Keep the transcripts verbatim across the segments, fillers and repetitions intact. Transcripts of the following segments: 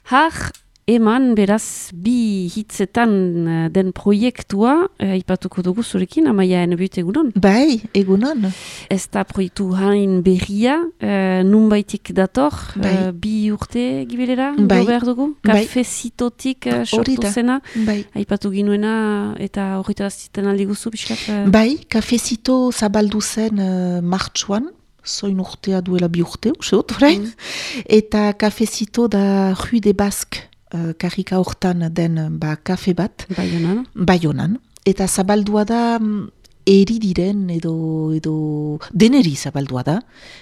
Har, eman, beraz, bi hitzetan uh, den proiektua, uh, ipatuko dugu zurekin, Amaia Enebut egunon. Bai, egunon. Ez da proiektu hain berria, uh, nunbaitik dator, Bai. uh, bi urte gibilera, Bai. do behar dugu, Bai. kafezitotik uh, sortu Hori da. zena, Bai. aipatu ginuena eta horreta ziten aldi guzu, biskat? Uh, Bai, kafezito zabaldu zen uh, martxuan, zoin urtea duela bi urte, useot, orain. Mm. Eta kafezito da Rue des Basques, uh, karrika hortan den ba, kafe bat. Baionan. Baionan. Eta zabaldua da mm, eri diren edo, edo deneri zabaldua da,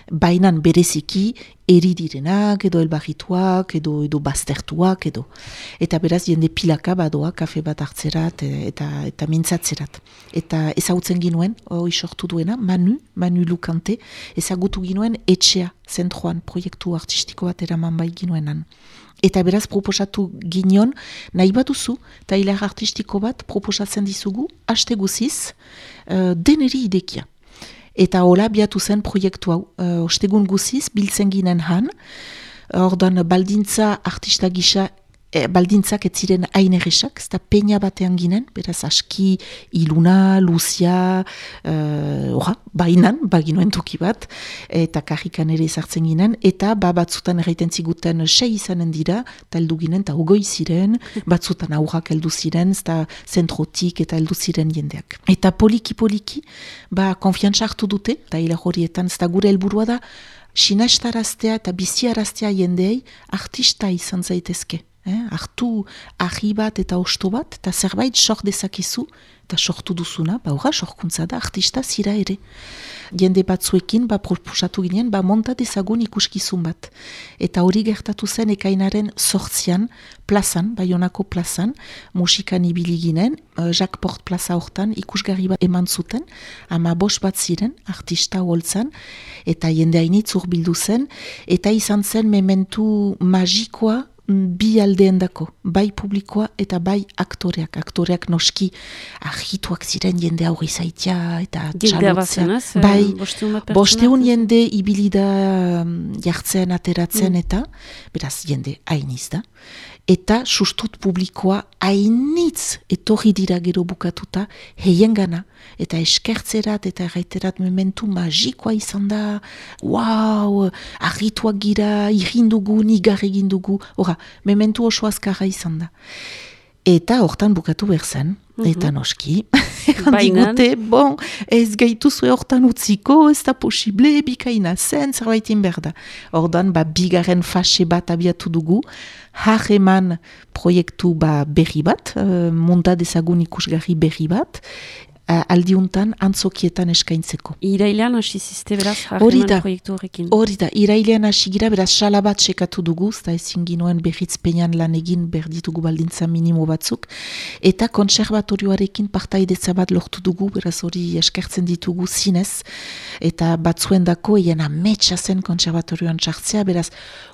bainan bereziki eri direnak edo elbarrituak edo, edo baztertuak edo. Eta beraz jende pilaka badoa kafe bat hartzerat eta, eta mintzatzerat. Eta ezagutzen ginuen, hori sortu duena, Manu, Manu Lukante, ezagutu ginuen etxea zentroan proiektu artistiko bat eraman bai ginuenan. Eta beraz proposatu ginion, nahi baduzu, eta hilar artistiko bat proposatzen dizugu, haste guziz, uh, deneri idekia. Eta hola biatu zen proiektu hau, uh, ostegun guziz, biltzen ginen han, ordan baldintza artista gisa, e, baldintzak ez ziren hain erresak, ez da peña batean ginen, beraz aski iluna, luzia, uh, orra, bainan, baginuen toki bat, eta karrikan ere ezartzen ginen, eta ba, batzutan erraiten ziguten sei izanen dira, eta heldu ginen, eta ogoi ziren, batzutan aurrak heldu ziren, ez da zentrotik eta heldu ziren jendeak. Eta poliki-poliki, ba, konfiantza hartu dute, eta hilar horietan, ez da gure helburua da, sinestaraztea eta biziaraztea jendeei artista izan zaitezke. Eh? Artu ahi bat eta osto bat, eta zerbait sor dezakezu, eta sortu duzuna, ba horra sorkuntza da, artista zira ere. Jende batzuekin, ba proposatu ginen, ba monta dezagun ikuskizun bat. Eta hori gertatu zen ekainaren sortzian, plazan, Baionako plazan, musikan ibili ginen, Jacques Port plaza hortan ikusgarri bat eman zuten, ama bos bat ziren, artista holtzan, eta jende hainitz urbildu zen, eta izan zen mementu magikoa, bi aldeendako, bai publikoa eta bai aktoreak. Aktoreak noski argituak ziren jende aurri zaitia eta txalotzea. Bai, bosteun jende ibilida jartzen, ateratzen mm. eta, beraz, jende hainiz da. Eta sustut publikoa hainitz etorri dira gero bukatuta heien gana. Eta eskertzerat eta erraiterat momentu magikoa izan da. Wow, argituak gira, irrindugu, nigar egindugu. Hora, momentu oso azkarra izan da. Eta hortan bukatu berzen. Mm-hmm. Eta noski, digute, bon, ez gaituzue hortan utziko, ez da posible, bikaina zen, zerbaitin berda. Ordan, ba, bigaren fase bat abiatu dugu, harreman proiektu ba, berri bat, uh, monta dezagun ikusgarri berri bat, uh, aldiuntan antzokietan eskaintzeko. Irailean hasi ziste beraz harreman proiektu horrekin. Hori da, irailean hasi gira, beraz sala bat sekatu dugu, eta ezin ginuen berriz peñan lan egin berditugu baldintza minimo batzuk, eta kontserbatorioarekin partaidetza bat lortu dugu, beraz hori eskertzen ditugu zinez, eta batzuen dako eien ametsa zen kontserbatorioan txartzea, beraz,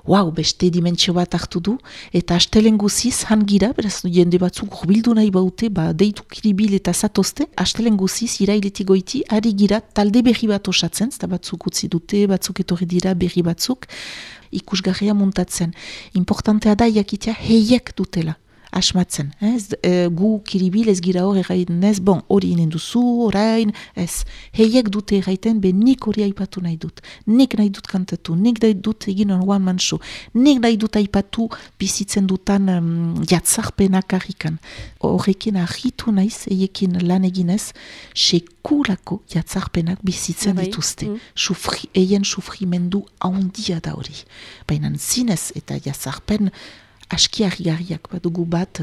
wow, beste dimentsio bat hartu du, eta astelen guziz han gira, beraz jende batzuk urbildu nahi baute, ba, deitu kiribil eta zatozte, astelen guziz irailetik goiti, ari gira talde berri bat osatzen, eta batzuk utzi dute, batzuk etorri dira berri batzuk, ikusgarria muntatzen. Importantea da jakitea heiek dutela. Asmatzen, ez? E, gu kiribil ez gira hor erraiten, ez, bon, hori inen duzu, orain, ez, heiek dute erraiten, be nik hori aipatu nahi dut, nik nahi dut kantatu, nik nahi dut egin on one man show, nik nahi dut aipatu bizitzen dutan um, jatzarpenak harrikan. Horrekin argitu naiz, eiekin lan eginez, sekulako jatzarpenak bizitzen Bai. dituzte. Mm. Sufri, eien sufrimendu handia da hori. Baina zinez eta jatzarpen aski harrigarriak badugu bat,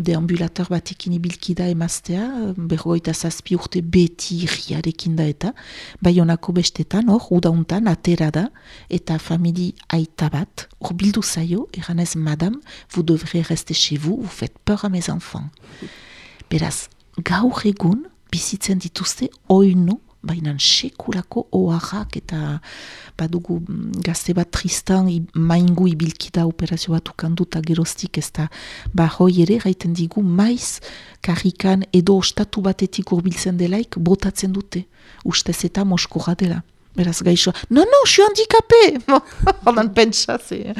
deambulator batekin ibilkida emaztea, berrogeita zazpi urte beti irriarekin da eta, Baionako bestetan, hor, udauntan, atera da, eta famili aita bat, hor bildu zaio, eranez, madame, vous devrez rester chez vous, vous faites peur à mes enfants. Beraz, gaur egun, bizitzen dituzte, oino, bainan sekulako oharrak eta badugu gazte bat tristan maingu ibilkida operazio bat ukanduta geroztik ez da ba hoi ere gaiten digu maiz karrikan edo ostatu batetik urbiltzen delaik botatzen dute ustez eta moskora dela. Beraz gaixo, no, no, je suis handicapé! Holan pentsa, ze.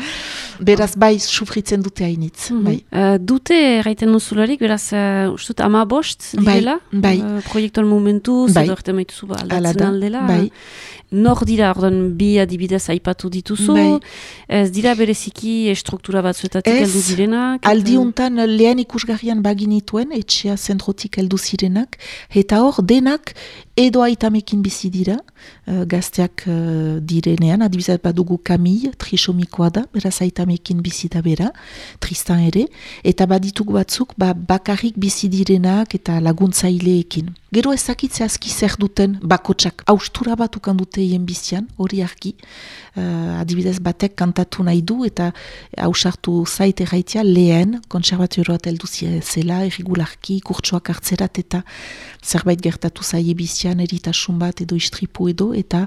Beraz bai, sufritzen dute hainitz. Mm-hmm. Bai. Uh, dute, erraiten duzularik, beraz, uh, ustut, ama bost, direla? Bai, bai. Uh, proiektuan momentu, bai. zedo erte maituzu ba, aldatzen aldela. Bai. Nor dira, ordan, bi adibidez aipatu dituzu, bai. Ez dira bereziki struktura batzuetatik heldu direnak? Ez, aldiuntan lehen ikusgarrian baginituen, etxea zentrotik heldu zirenak, eta hor, denak edo aitamekin bizi dira, uh, gazteak uh, direnean, adibidez badugu Camille, trisomikoa da, beraz aitamekin bizi da bera, Tristan ere, eta baditugu batzuk, ba, bakarrik bizi direnak eta laguntzaileekin. Gero ezakitze aski zer duten bakotsak, haustura bat ukan dute hien bizian, hori argi, uh, adibidez batek kantatu nahi du, eta hausartu zaite gaitia lehen, konservaturoat heldu zela, irregularki, kurtsoak hartzerat, eta zerbait gertatu zaie bizian, eritasun bat edo istripu edo, eta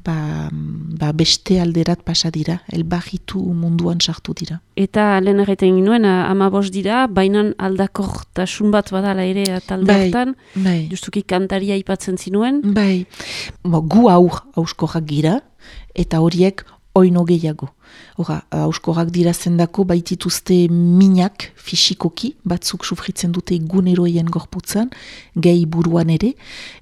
ba, ba beste alderat pasa dira, elbarritu munduan sartu dira. Eta lehen erreten ginuen, amabos dira, bainan aldakortasun bat badala ere talde hartan, bai, bai. Justuki kantaria aipatzen zinuen. Bai, Bo, gu aur hauskorrak gira, eta horiek oino gehiago. Hora, hauskorrak dira zendako baitituzte minak fisikoki, batzuk sufritzen dute guneroien gorputzan, gehi buruan ere,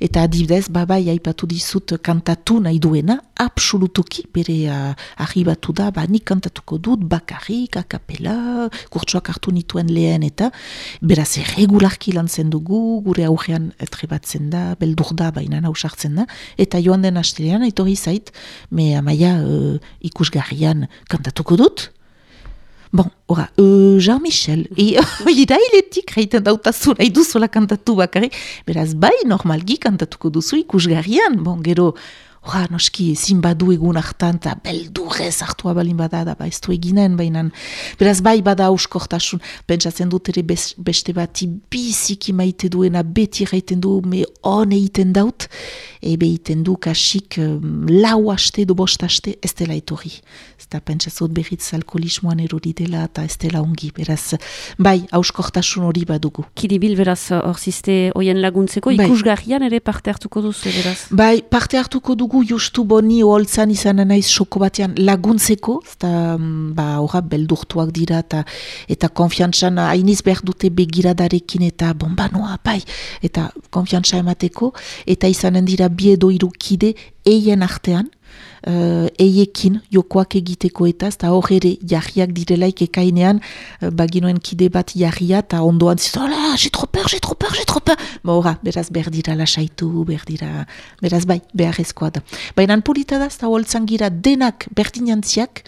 eta adibidez, babai aipatu dizut kantatu nahi duena, absolutoki, bere uh, arribatu da, ba, nik kantatuko dut, bakarrik, akapela, kurtsoak hartu nituen lehen, eta beraz erregularki lantzen dugu, gure aurrean trebatzen da, beldur da, baina hausartzen da, eta joan den astelean, etorri zait, me amaia uh, ikusgarrian kantatuko dut. Bon, ora, uh, Jean-Michel, irailetik reiten dautazu nahi duzuela kantatu bakarrik, beraz bai normalgi kantatuko duzu ikusgarrian, bon, gero, ora, noski, ezin badu egun hartan, eta beldurrez hartua balin bada, da, ba, ez du eginen, bainan, beraz bai bada hauskortasun, pentsatzen dut ere beste bati biziki maite duena, beti reiten du, me hon egiten daut, ebe egiten du kasik um, lau haste edo bost haste, ez dela etorri. Eta pentsazot berriz alkoholismoan erori dela eta ez dela ongi, beraz, bai, hauskortasun hori badugu. Kiribil beraz hor ziste hoien laguntzeko, bai. Ikusgarrian ere parte hartuko duzu, beraz? Bai, parte hartuko dugu justu boni holtzan izan naiz soko batean laguntzeko, eta ba, horra beldurtuak dira, eta, eta konfiantzan hainiz behar dute begiradarekin eta bombanoa, bai, eta konfiantza emateko, eta izanen dira bi edo hiru kide eien artean, Uh, eiekin jokoak egiteko eta eta hor ere jarriak direlaik ekainean uh, baginoen kide bat jarria eta ondoan zizu, hola, j'ai trop peur, j'ai trop peur, j'ai trop peur. Ba horra, beraz berdira lasaitu, berdira, beraz bai, beharrezkoa da. Baina polita da, eta holtzan gira denak berdinantziak,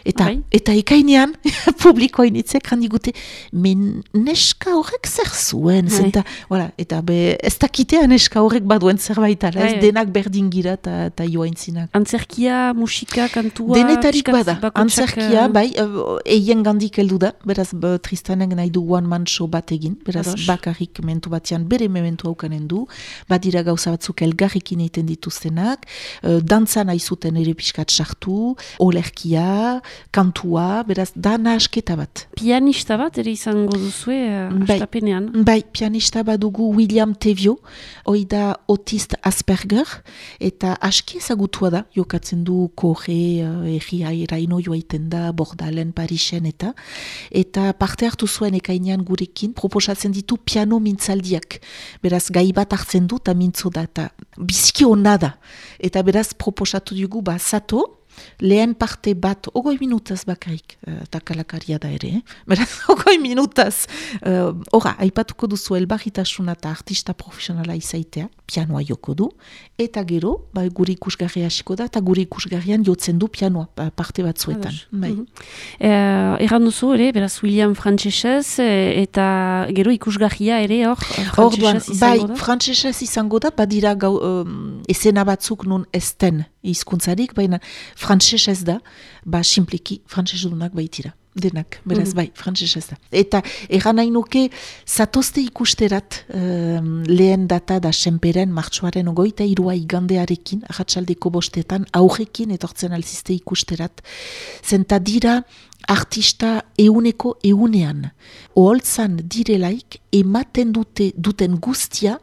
eta, bai. Eta ekainean publikoa initzek handigute, men neska horrek zer zuen, bai. Zenta, voilà, eta be, ez dakitea neska horrek baduen zerbait, ala, bai, ez bai. denak berdin gira eta joaintzinak. Antzerkia, musika, kantua... Denetarik bada, bakotsak, antzerkia, bai, uh, eien gandik heldu da, beraz b, Tristanek nahi du one man show bat egin, beraz Ados. Bakarrik mentu batean bere mementu haukanen du, badira gauza batzuk elgarrikin egiten dituztenak, uh, dantza nahi zuten ere pixkat sartu, olerkia, kantua, beraz da nahasketa bat. Pianista bat ere izango duzue uh, bai, astapenean. Bai, pianista badugu William Tevio, hoi da autist Asperger, eta aski ezagutua da, jokatzen du korre, erria eraino joaiten da, Bordalen, Parisen eta eta parte hartu zuen ekainean gurekin, proposatzen ditu piano mintzaldiak. Beraz, gai bat hartzen du, eta mintzo da, eta biziki hona da. Eta beraz, proposatu dugu, ba, zato, lehen parte bat, ogoi minutaz bakarrik, eta uh, kalakaria da ere, eh? Beraz, ogoi minutaz, horra, uh, aipatuko duzu elbarritasuna eta artista profesionala izaitea, pianoa joko du, eta gero, ba, guri ikusgarria hasiko da, eta guri ikusgarrian jotzen du pianoa, ba, parte batzuetan. Bai. Mm-hmm. eh, Erran duzu ere, beraz William frantsesez, eta gero ikusgarria ere hor, frantsesez izango bai, da? Bai, frantsesez izango da, badira gau, um, esena batzuk nun esten hizkuntzarik, baina frantsesez da, ba, simpliki frantsesudunak baitira. Denak, beraz mm-hmm. bai, frantsesez da. Eta erran nahi nuke, zatozte ikusterat um, lehen data da senperen martxoaren ogoita irua igandearekin, ahatsaldeko bostetan, aurrekin etortzen alzizte ikusterat. Zenta dira artista euneko eunean. Oholtzan direlaik ematen dute duten guztia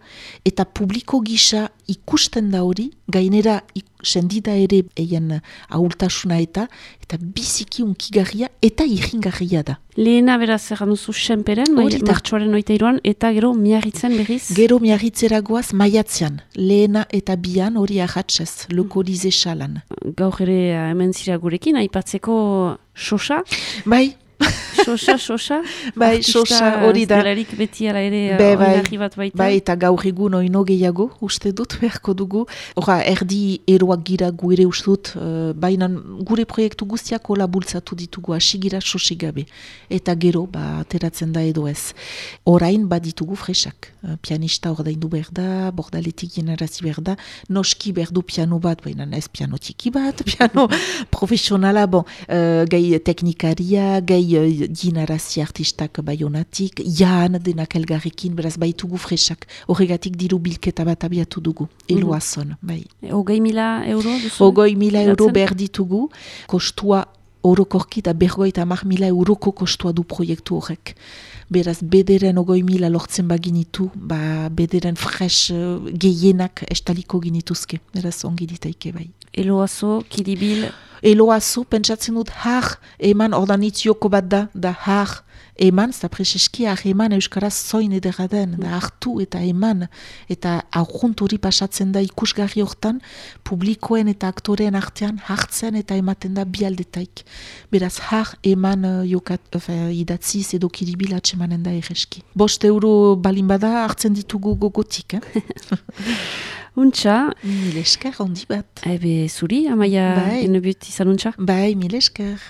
eta publiko gisa ikusten da hori, gainera ik, sendida ere eien ahultasuna eta eta biziki unkigarria eta irringarria da. Lehena beraz erran duzu senperen, martxoaren oita iruan, eta gero miarritzen berriz? Gero miarritzera goaz maiatzean, lehena eta bian hori ahatzez, lokolize salan. Gaur ere hemen zira gurekin, aipatzeko Xoxa? Bai. Xoxa, Xoxa? Bai, Xoxa, hori da. Artista beti ala ere Be, bai, oinarri bat baita. Bai, eta gaur egun oino gehiago, uste dut, beharko dugu. Hora, erdi eroak gira gu ere uste dut, uh, baina gure proiektu guztiak hola bultzatu ditugu, asigira Xoxi gabe. Eta gero, ba, ateratzen da edo ez. Orain baditugu fresak. Uh, pianista ordaindu behar da, bordaletik generazi behar da, noski behar du piano bat, baina ez piano txiki bat, piano profesionala, bon, uh, gai teknikaria, gai ginarazi artistak baionatik, jaan denak elgarrekin, beraz baitugu fresak. Horregatik diru bilketa bat abiatu dugu, eloazon, bai. Hogei mila euro duzu? Hogei mila euro behar ditugu, kostua orokorki da bergoita hamar mila euroko kostua du proiektu horrek. Beraz, bederen ogoi mila lortzen baginitu, ba, bederen fresh uh, gehienak estaliko ginituzke. Beraz, ongi ditaike bai. Eloazo, Kiribil... Eloazo, pentsatzen dut, har, eman, ordanitz joko bat da, da har, eman, zta preseski, har, eman, euskaraz zoin edera den, da hartu eta eman, eta aurrunt hori pasatzen da ikusgarri hortan, publikoen eta aktoreen artean hartzen eta ematen da bialdetaik. Beraz, har, eman, uh, jokat, uh, idatziz edo Kiribil atsemanen da erreski. Bost euro balin bada hartzen ditugu gogotik, eh? Untxa. Mil esker, ondi bat. Ebe, zuri, Amaia, bai. Enebut izan untxa? Bai, mil esker.